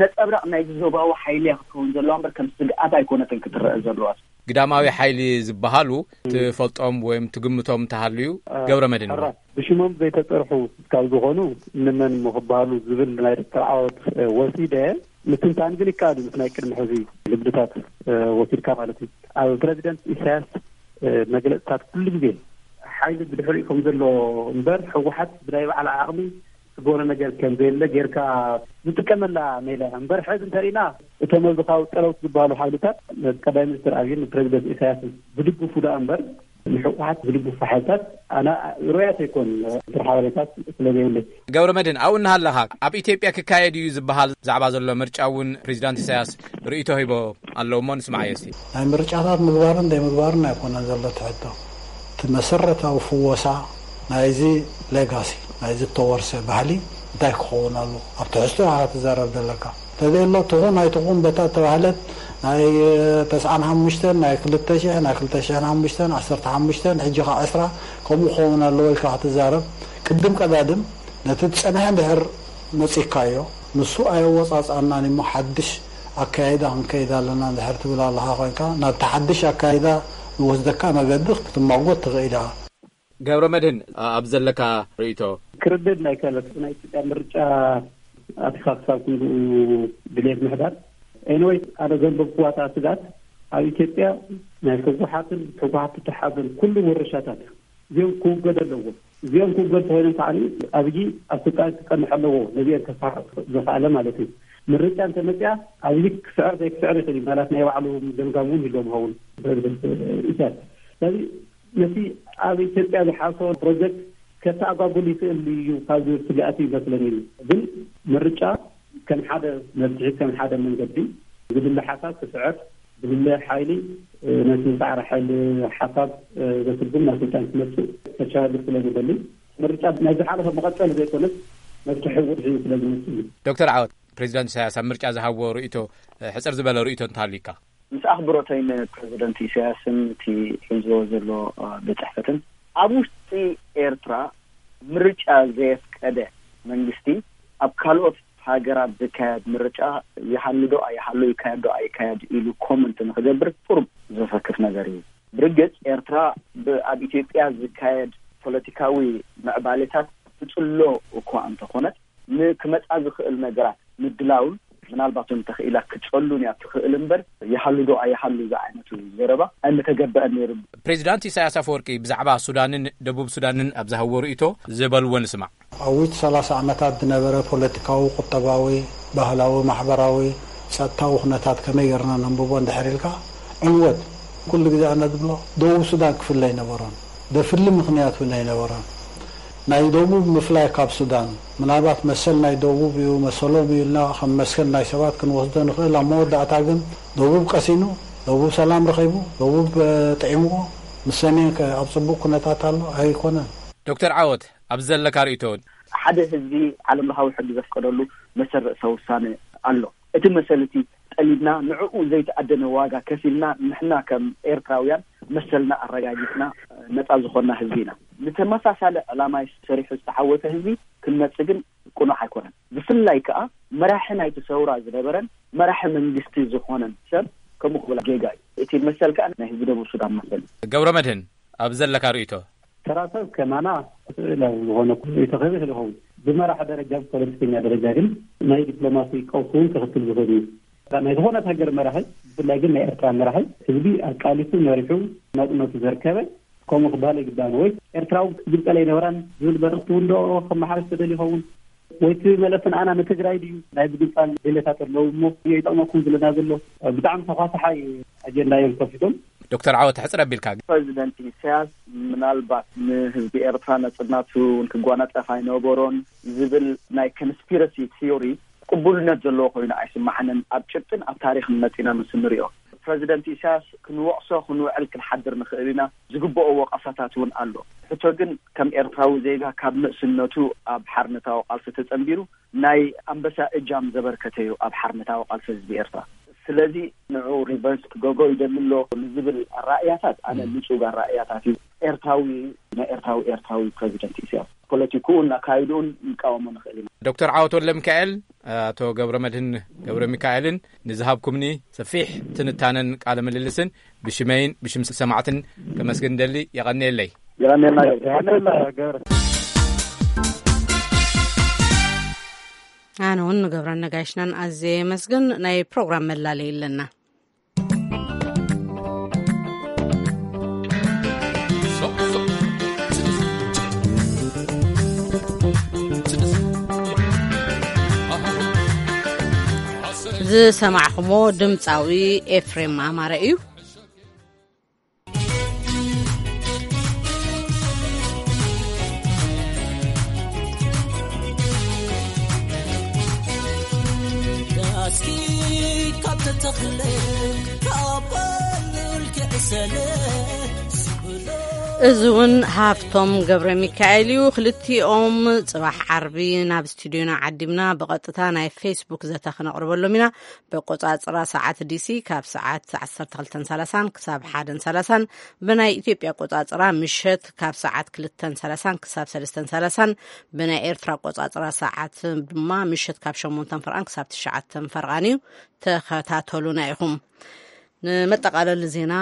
ነፀብራቕ ናይዚ ዞባዊ ሓይሊ እያ ክትከውን ዘለዋ እምበር ከም ስግኣት ኣይኮነትን ክትረአ ዘለዋ። ግዳማዊ ሓይሊ ዝበሃሉ ትፈልጦም ወይም ትግምቶም እንተሃልዩ፣ ገብረ መድህን። ሕራይ፣ ብሽሞም ዘይተፀርሑ ካብ ዝኾኑ ንመን እሞ ክበሃሉ ዝብል ናይ ዶክተር ዓወት፣ እ፣ ወሲደ ምትንታን ግን ይከኣል እዩ። ምስ ናይ ቅድሚ ሕዚ ልምድታት፣ እ፣ ወሲድካ ማለት እዩ። ኣብ ፕረዚደንት ኢሳያስ፣ እ፣ መግለፅታት ኩሉ ግዜ ሓይሊ ብድሕሪኡ ከም ዘሎ እምበር ህወሓት ብናይ ባዕላ ዓቕሚ ትገብሮ ነገር ከም ዘየለ ጌርካ ዝጥቀመላ ሜላ እያ። እምበር ሕዚ እንተሪእና እቶም ኣብዚ ካብ ጸለውቲ ዝበሃሉ ሓይልታት ነቲ ቀዳማይ ሚኒስትር ኣብይን ንፕረዚደንት ኢሳያስን ዝድግፉ ደኣ እምበር ንህወሓት ዝድግፉ ሓይልታት ኣነ ርኡያት ኣይኮኑን። ዝርዝር ሓበሬታት ስለ ዘይብለይ። ገብረ መድህን፣ ኣብኡ እናሃለኻ ኣብ ኢትዮጵያ ክካየድ እዩ ዝበሃል ዛዕባ ዘሎ ምርጫ እውን ፕሬዚዳንት ኢሳያስ ርእይቶ ሂቦ ኣለዉ እሞ ንስማዓዮ እስቲ። ናይ ምርጫታት ምግባርን ዘይምግባርን ኣይኮነን ዘሎ እቲ ሕቶ። እቲ መሰረታዊ ፍወሳ ናይዚ ሌጋሲ፣ ናይዚ እተወርሰ ባህሊ እንታይ ክኸውን ኣለዎ? ኣብ ትሕዝቶ ኢኻ ክትዛረብ ዘለካ። እንተዘየሎ ትኹን ኣይትኹን በታ እተባህለት ናይ ተስዓን ሓሙሽተን፣ ናይ ክልተ ሽሕ፣ ናይ ክልተ ሽሕን ሓሙሽተን፣ ዓሰርተ ሓሙሽተን፣ ሕጂ ኸዓ ዕስራ ከምኡ ክኸውን ኣለዎ ኢልካ ክትዛረብ፣ ቅድም ቀዳድም ነቲ ዝጸንሐ እንድሕር መጺእካዮ፣ ንሱ ኣየወጻጽኣናን እሞ ሓድሽ ኣካይዳ ክንከይድ ኣለና እንድሕር ትብል ኣለኻ ኮይንካ፣ ናብቲ ሓድሽ ኣካይዳ ዝወስደካ መገዲ ክትማጎት ትኽእል ኢኻ። ገብረ መድህን፣ ኣብ ዘለካ ርእይቶ። ክርድድ ናይ ከለስ ናይ ኢትዮጵያ ምርጫ ኣቲኻ ክሳብ ክንድኡ ድሌት ምሕዳር። ኤኒወይ፣ ኣነ ዘንበብኩዋ እታ ስጋት ኣብ ኢትዮጵያ ናይ ህወሓትን ህወሓት ተተሓዘን ኩሉ ውርሻታት እዚኦም ክውገዱ ኣለዎም። እዚኦም ክውገዱ ተኾይኖም ከዓ ኣብይ ኣብ ስልጣን ክፀንሕ ኣለዎ፣ ነዚኦም ከሳሕቕ ዝኸኣለ ማለት እዩ። ምርጫ እንተመፅያ ኣብይ ክስዕር ዘይክስዕር ይኽእል እዩ። ምናልባት ናይ ባዕሉ ገምጋም እውን ይህልዎም ይኸውን ፕረዚደንት ኢሳያስ። ስለዚ ነቲ ኣብ ኢትዮጵያ ዝሓሰቦ ፕሮጀክት ከተኣጓጉል ይኽእል እዩ ካብ ዝብል ስግኣት እዩ ይመስለኒ። ግን ምርጫ ከም ሓደ መፍትሒ፣ ከም ሓደ መንገዲ ዝድለ ሓሳብ ክስዕር፣ ዝድለ ሓይሊ፣ እ፣ ነቲ ዝሰዓረ ሓይሊ ሓሳብ፣ እ፣ ዘስጉም ናብ ስልጣን ክመፅእ ተቻለ ስለ ዝደሊ፣ ምርጫ ናይ ዝሓለፈ መቐጸሊ ዘይኮነስ መፍትሒ ውድሒ ስለ ዝመፅእ እዩ። ዶክተር ዓወት። ፕሬዚዳንት ኢሳያስ ኣብ ምርጫ ዝሃብዎ ርእይቶ፣ ሕፅር ዝበለ ርእይቶ እንተሃልዩካ? ምስ ኣኽብሮተይ ንፕሬዚደንት ኢሳያስን እቲ ሒዝዎ ዘሎ ቤት ጽሕፈትን፣ ኣብ ውሽጢ ኤርትራ ምርጫ ዘየፍቀደ መንግስቲ ኣብ ካልኦት ሃገራት ዝካየድ ምርጫ ይሃሉ ዶ ኣይሃሉ፣ ይካየድ ዶ ኣይካየድ ኢሉ ኮመንት ንክገብር ቁሩብ ዘሰክፍ ነገር እዩ። ብርግጽ ኤርትራ ብ-፣ ኣብ ኢትዮጵያ ዝካየድ ፖለቲካዊ ምዕባሌታት ትጽሎ እኳ እንተኾነት፣ ንክመጻ ዝኽእል ነገራት ምድላውን ምናልባት እውን ተኽኢላ ክትጸሉን እያ ትኽእል እምበር፣ ይሃሉ ዶ ኣይሃሉ ዝዓይነቱ ዘረባ ኣይምተገበአን ነይሩ። ፕሬዚዳንት ኢሳያስ ኣፈወርቂ ብዛዕባ ሱዳንን ደቡብ ሱዳንን ኣብ ዝሃብዎ ርእይቶ ዝበልዎ ንስማዕ። ኣብ ውሽጢ ሰላሳ ዓመታት ዝነበረ ፖለቲካዊ፣ ቁጠባዊ፣ ባህላዊ፣ ማሕበራዊ፣ ጸጥታዊ ኩነታት ከመይ ጌርና ነንብቦ እንድሕር ኢልካ፣ ዕንወት ኩሉ ግዜ ኣነ ዝብሎ ደቡብ ሱዳን ክፍለ ኣይነበሮን። ዘፍሊ ምኽንያት እውን ኣይነበሮን። ናይ ደቡብ ምፍላይ ካብ ሱዳን፣ ምናልባት መሰል ናይ ደቡብ እዩ፣ መሰሎም እዩ ኢልና ከም መስከን ናይ ሰባት ክንወስዶ ንኽእል። ኣብ መወዳእታ ግን ደቡብ ቀሲኑ፣ ደቡብ ሰላም ረኺቡ፣ ደቡብ፣ እ፣ ጥዒምዎ፣ ምስ ሰሜን ከ ኣብ ጽቡቕ ኩነታት ኣሎ ኣይኮነን። ዶክተር ዓወት፣ ኣብ ዘለካ ርእይቶ እውን? ሓደ ህዝቢ ዓለም ለኻዊ ሕጊ ዘፍቀደሉ መሰል ርእሰ ውሳነ ኣሎ። እቲ መሰል እቲ ጠሊብና፣ ንዕኡ ዘይተኣደነ ዋጋ ከፊልና፣ ንሕና ከም ኤርትራውያን መሰልና ኣረጋጊጽና ነጻ ዝኾንና ህዝቢ ኢና። ንተመሳሳሊ ዕላማ ሰሪሑ ዝተዓወተ ህዝቢ ክንመጽእ ግን ቅኑዕ ኣይኮነን። ብፍላይ ከኣ መራሒ ናይቲ ሰውራ ዝነበረን መራሒ መንግስቲ ዝኾነን ሰብ ከምኡ ክብል ጌጋ እዩ። እቲ መሰል ከኣ ናይ ህዝቢ ደቡብ ሱዳን መሰል እዩ። ገብረ መድህን፣ ኣብ ዘለካ ርእይቶ? ተራ ሰብ ከማና ስእላዊ ዝኾነ ርእይቶ ክህብ ይኽእል ይኸውን። ብመራሒ ደረጃ፣ ብፖለቲከኛ ደረጃ ግን ናይ ዲፕሎማሲ ቀውሲ እውን ከኽትል ዝኽእል እዩ። ናይ ዝኾነት ሃገር መራሒ፣ ብፍላይ ግን ናይ ኤርትራ መራሒ፣ ህዝቢ ኣቃሊሱ መሪሑ ናጽነቱ ዘርከበ፣ ከምኡ ክበሃል ኣይግባእን። ወይ ኤርትራዊ ክግንጸል ኣይነበራን ዝብል መልእኽቲ እውን ዶ ከመሓላልፍ ተደልዩ ይኸውን? ወይ እቲ መለስ ንኣና ንትግራይ ድዩ? ናይ ምግንጻል ድሌታት ኣለዉ እሞ ይጠቕመኩም ዝለና ዘሎ ብጣዕሚ ተኳሳሓይ ኣጀንዳ እዮም ከፊቶም። ዶክተር ዓወት፣ ሕጽር ኣቢልካ። ፕሬዚደንት ኢሳያስ ምናልባት ንህዝቢ ኤርትራ ነጽነቱ እውን ክጓናጸፍ ኣይነበሮን ዝብል ናይ ኮንስፒረሲ ቲዮሪ ቅቡልነት ዘለዎ ኮይኑ ኣይስማዓንን። ኣብ ጭብጥን ኣብ ታሪኽን መጺና ምስ እንሪኦ፣ ፕሬዚደንት ኢሳያስ ክንወቕሶ ክንውዕል ክንሓድር ንኽእል ኢና። ዝግብኦ ወቐሳታት እውን ኣሎ። ሕቶ ግን ከም ኤርትራዊ ዜጋ ካብ ንእስነቱ ኣብ ሓርነታዊ ቃልሲ ተጸንቢሩ ናይ ኣንበሳ እጃም ዘበርከተ እዩ ኣብ ሓርነታዊ ቃልሲ ህዝቢ ኤርትራ። ስለዚ ንዑ ሪቨርስ ክገብሮ ይደሊ ኣሎ ንዝብል ኣራእያታት ኣነ ም። ንጹግ ኣራእያታት እዩ። ኤርትራዊ፣ ናይ ኤርትራዊ፣ ኤርትራዊ ፕሬዚደንት ኢሳያስ ፖለቲክኡን ኣካይድኡን ንቃወሞ ንኽእል ኢና። ዶክተር ዓወት ወልደ ሚካኤል፣ ኣቶ ገብረ መድህን ገብረ ሚካኤልን ንዝሃብኩምኒ ሰፊሕ ትንታነን ቃለ ምልልስን ብሽመይን ብሽም ሰማዕትን ከመስግን ደሊ። የቐንየለይ። የቐንየልና ገብረ። የቐንየልና ገብረ። ኣነ እውን ንገብረ ነጋሽናን ኣዝየ የመስግን። ናይ ፕሮግራም መላለይ ኣለና። ዝሰማዕኹሞ ድምፃዊ ኤፍሬም ኣማረ እዩ። እዚ እውን ሃፍቶም ገብረ ሚካኤል እዩ። ክልቲኦም ጽባሕ ዓርቢ ናብ ስቱዲዮና ዓዲምና ብቐጥታ ናይ ፌስቡክ ዘተ ክነቕርበሎም ኢና። በቆጻጽራ ሰዓት ዲሲ ካብ ሰዓት ዓሰርተ ክልተን ሰላሳን ክሳብ ሓደን ሰላሳን፣ ብናይ ኢትዮጵያ ኣቆጻጽራ ምሸት ካብ ሰዓት ክልተን ሰላሳን ክሳብ ሰለስተን ሰላሳን፣ ብናይ ኤርትራ ኣቆጻጽራ ሰዓት ድማ ምሸት ካብ ሸሞንተን ፈርቓን ክሳብ ትሽዓተን ፈርቓን እዩ። ተኸታተሉና ኢኹም። ንመጠቓለሊ ዜና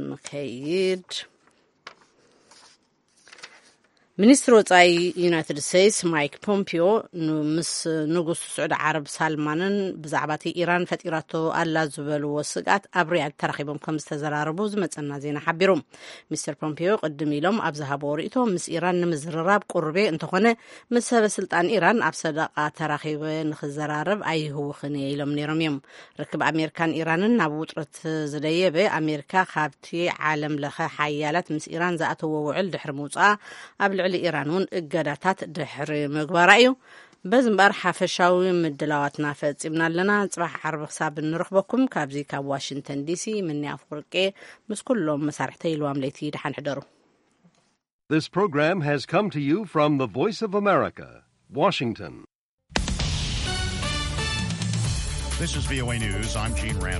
ንከይድ። ሚኒስትሪ ወጻኢ ዩናይትድ ስቴትስ ማይክ ፖምፒዮ ን-፣ ምስ ንጉስ ስዑዲ ዓረብ ሳልማንን ብዛዕባ እቲ ኢራን ፈጢራቶ ኣላ ዝበልዎ ስግኣት ኣብ ሪያድ ተራኺቦም ከም ዝተዘራረቡ ዝመጸና ዜና ሓቢሩ። ሚስተር ፖምፒዮ ቅድም ኢሎም ኣብ ዝሃብዎ ርእይቶ፣ ምስ ኢራን ንምዝርራብ ቁሩብ እየ፣ እንተኾነ ምስ ሰበ ስልጣን ኢራን ኣብ ሰደቓ ተራኺበ ንኽዘራረብ ኣይህውኽን እየ ኢሎም ነይሮም እዮም። ርክብ ኣሜሪካን ኢራንን ናብ ውጥረት ዝደየበ፣ ኣሜሪካ ካብቲ ዓለም ለኸ ሓያላት ምስ ኢራን ዝኣተዎ ውዕል ድሕሪ ምውፅኣ ኣብ ልዕሊ ኢራን እውን እገዳታት ድሕሪ ምግባራ እዩ። በዚ እምበኣር ሓፈሻዊ ምድላዋትና ፈፂምና ኣለና። ፅባሕ ዓርቢ ክሳብ እንረኽበኩም ካብዚ ካብ ዋሽንግተን ዲሲ ምንያ ኣፍወርቄ ምስ ኩሎም መሳርሕተይ ኢልዋም ለይቲ ደሓን ሕደሩ። This program has come to you from the Voice of America, Washington. This is V O A News. I'm Gene Rand.